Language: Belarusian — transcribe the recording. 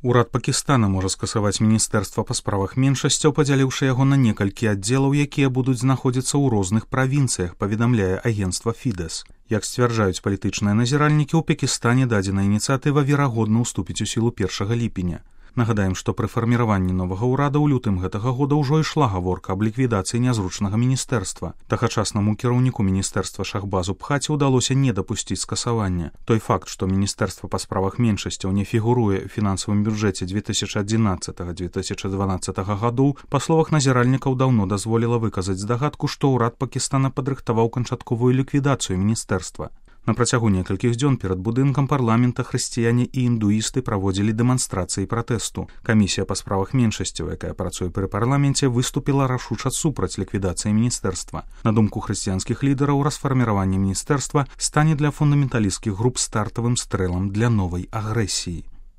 Урад Пакістана можа скасаваць Міністэрства па справах меншасцяў, падзяліўшы яго на некалькі аддзелаў, якія будуць знаходзіцца ў розных правінцыях, паведамляе агенцтва Фідэс. Як сцвярджаюць палітычныя назіральнікі, у Пакістане дадзеная ініцыятыва верагодна ўступіць у сілу 1 ліпеня. Нагадаем, што пры фарміраванні новага ўрада ў лютым гэтага года ўжо ішла гаворка аб ліквідацыі нязручнага міністэрства. Тагачаснаму кіраўніку міністэрства Шахбазу Бхаці ўдалося не дапусціць скасавання. Той факт, што Міністэрства па справах меншасцяў не фігуруе ў фінансавым бюджэце 2011-2012 гадоў, па словах назіральнікаў, даўно дазволіла выказаць здагадку, што ўрад Пакістана падрыхтаваў канчатковую ліквідацыю міністэрства. На працягу некалькіх дзён перад будынкам парламента хрысціяне і індуісты праводзілі дэманстрацыі пратэсту. Камісія па справах меншасцяў, якая працуе пры парламенце, выступіла рашуча супраць ліквідацыі міністэрства. На думку хрысціянскіх лідараў, расфарміраванне міністэрства стане для фундаменталісцкіх груп стартавым стрэлам для новай агрэсіі.